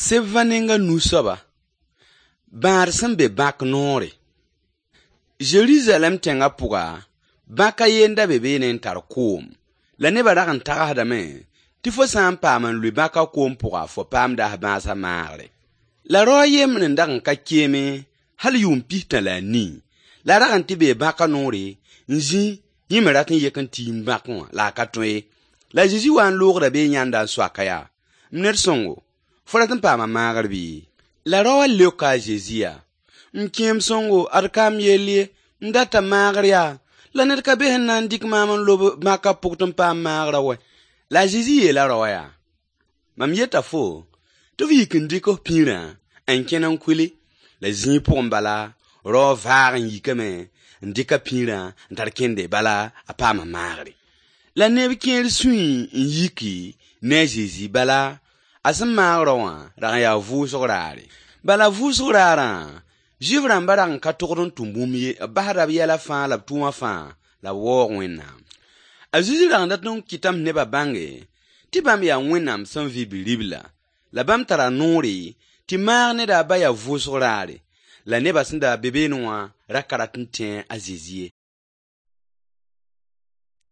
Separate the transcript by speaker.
Speaker 1: Seb-va nenga nu soaba, bãad sẽn be bãk noore. Zerizalɛɛm tẽngã pʋga, bãk a ye n da be beene n tar koom. La nebã rag n tagsdame tɩ fo sã n paam n lʋɩ bãkã koom pʋga, fo paamda f bãasã maagre. La rao a yembr n dag n ka keeme hal yʋʋm 64, la a rag n tɩ bee bãkã noore n zĩ yẽ me rat n yek n tiim bãkẽ wã, la a ka tõe ye. La a Zezi wa n loogda bee n yãnda n soaka yaa: M ned sõngo, fo rat n paama maagr bɩ? La raowã leoka a Zezi yaa: M kẽem sõngo, ad ka m yell ye, m data maagr yaa, la ned ka be sẽn na n dɩk maam n lob bãkã pʋg tɩ m paam maagrã wɛ. La a Zezi yeela raowã yaa: Mam yeta fo tɩ f yik n dɩk f pĩirã n kẽn n kʋɩle. La zĩig pʋgẽ bala, raowã vaag n yikame n dɩk a pĩirã n tar kẽnde, bala a paama maagre. La neb kẽer sũy n yiki ne a Zezi, bala a sẽn maag rao wã rag n yaa vʋʋsg raare. Bala vʋʋsg raarã, Zuif rãmbã rag n ka togd n tʋm bũmb ye, b basda b yɛla fãa la b tʋʋma fãa la b waoog Wẽnnaam. A Zezi rag n dat n kɩtame tɩ nebã bãnge tɩ bãmb yaa Wẽnnaam sẽn vɩ Bi-ribla, la bãmb tara noore tɩ maag neda a ba yaa vʋʋsg raare. La nebã sẽn da be beene wã ra ka rat n tẽ a Zezi ye.